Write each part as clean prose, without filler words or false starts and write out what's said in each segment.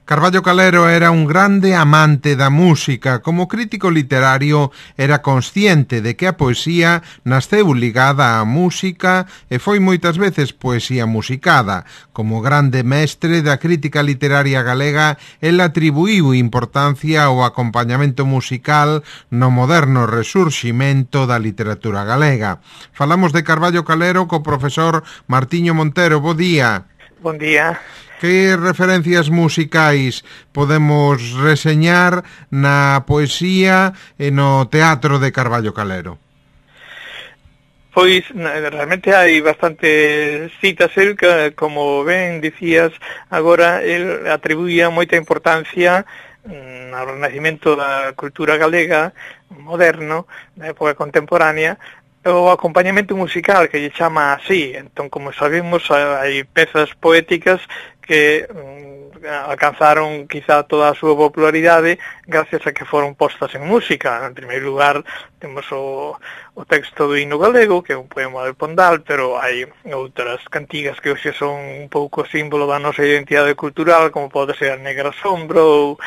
Carballo Calero era un grande amante da música. Como crítico literario era consciente de que a poesía nasceu ligada á música e foi moitas veces poesía musicada. Como grande mestre da crítica literaria galega, el atribuíu importancia ao acompañamento musical no moderno resurximento da literatura galega. Falamos de Carballo Calero co profesor Martiño Montero. Bo día. Bon día. Que referencias musicais podemos reseñar na poesía e no teatro de Carballo Calero? Pois realmente hai bastantes citas. El, que, como ben dicías agora, el atribuía moita importancia ao renacimento da cultura galega moderno, da época contemporánea, o acompañamento musical, que lle chama así. Entón, como sabemos, hai pezas poéticas que alcanzaron quizá toda a súa popularidade gracias a que foron postas en música. En primeiro lugar, temos o texto do himno galego, que é un poema de Pondal, pero hai outras cantigas que hoxe son un pouco símbolo da nosa identidade cultural, como pode ser a Negra Sombra ou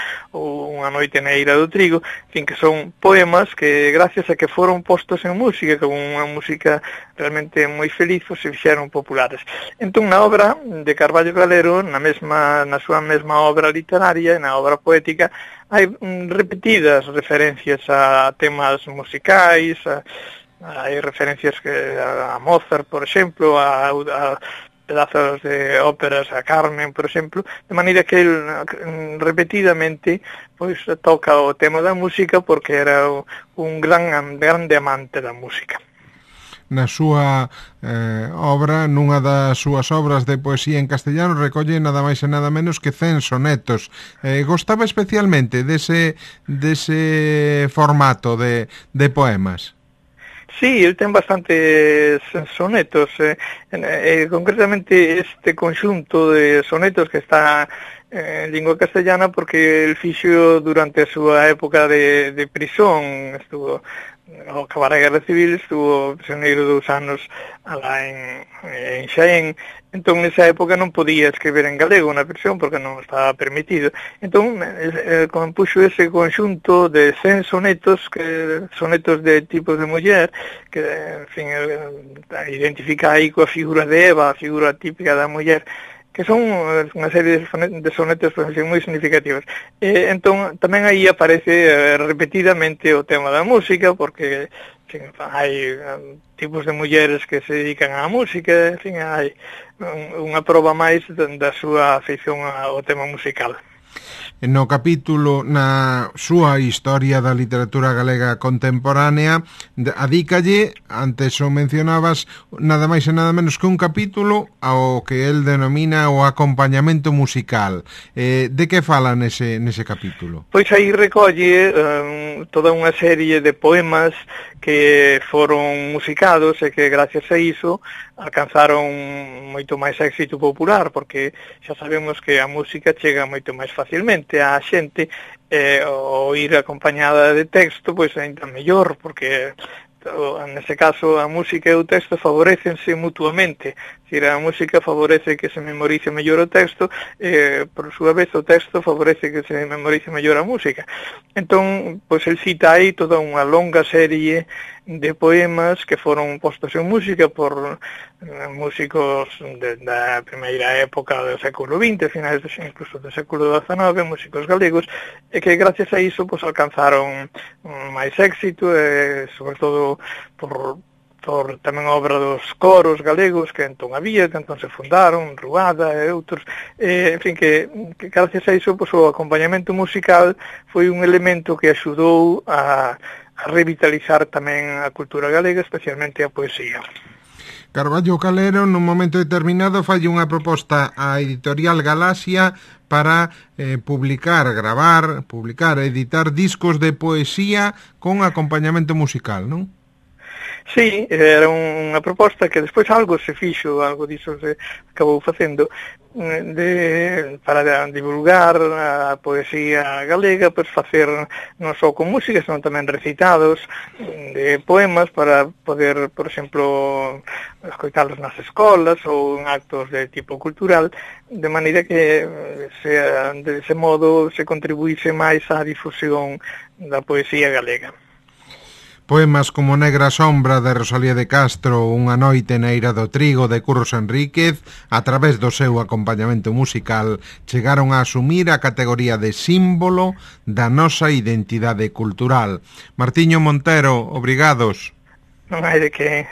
Unha noite na eira do trigo, en fin, que son poemas que gracias a que foron postos en música, con unha música realmente moi feliz, se fixeron populares. Entón, na obra de Carballo Calero, na súa mesma obra literaria e na obra poética, hai repetidas referencias a temas musicais, hai referencias a Mozart, por exemplo, a pedazos de óperas, a Carmen, por exemplo, de maneira que ele repetidamente pois toca o tema da música porque era un grande amante da música. Na súa obra, nunha das súas obras de poesía en castellano, recolle nada máis e nada menos que 100 sonetos. Gostaba especialmente dese formato de poemas? Sí, el ten bastantes sonetos, concretamente este conxunto de sonetos que está en lingua castellana porque el fixo durante a súa época de prisón, estuvo ao acabar a Guerra Civil, estuvo prisioneiro 2 anos alá en Xaén. Entón, nesa época non podía escribir en galego na prisión porque non estaba permitido. Entón, compuxo ese conxunto de 100 sonetos, sonetos de tipos de muller, que, en fin, identifica aí coa figura de Eva, a figura típica da muller, que son unha serie de sonetos moi significativos. Entón, tamén aí aparece repetidamente o tema da música, porque en fin, hai tipos de mulleres que se dedican á música, en fin, hai unha proba máis da súa afeición ao tema musical. No capítulo, na súa historia da literatura galega contemporánea, adícalle, antes o mencionabas, nada máis e nada menos que un capítulo ao que el denomina o acompañamento musical. De que fala nese capítulo? Pois aí recolle toda unha serie de poemas que foron musicados e que gracias a iso alcanzaron moito máis éxito popular, porque xa sabemos que a música chega moito máis facilmente á xente, o ir acompañada de texto, pois ainda mellor, porque nese caso a música e o texto favorecense mutuamente. A música favorece que se memorice mellor o texto, por súa vez o texto favorece que se memorice mellor a música. Entón, pois el cita aí toda unha longa serie de poemas que foron postos en música por músicos da primeira época do século XX, finais incluso do século XIX, músicos galegos, e que gracias a iso pois alcanzaron máis éxito, sobre todo por tamén obra dos coros galegos que entón había, que entón se fundaron, Ruada e outros, en fin, que gracias a iso pois, o acompañamento musical foi un elemento que axudou a revitalizar tamén a cultura galega, especialmente a poesía. Carballo Calero, nun momento determinado, falle unha proposta á editorial Galaxia para publicar, editar discos de poesía con acompañamento musical, non? Sí, era unha proposta que despois algo se fixo, algo diso se acabou facendo, para divulgar a poesía galega, pois facer non só con música, senón tamén recitados de poemas para poder, por exemplo, escoitalos nas escolas ou en actos de tipo cultural, de maneira que de ese modo se contribuíse máis á difusión da poesía galega. Poemas como Negra Sombra de Rosalía de Castro, Unha noite na eira do trigo de Curros Enríquez, a través do seu acompañamento musical, chegaron a asumir a categoría de símbolo da nosa identidade cultural. Martiño Montero, obrigados. Non hai de que...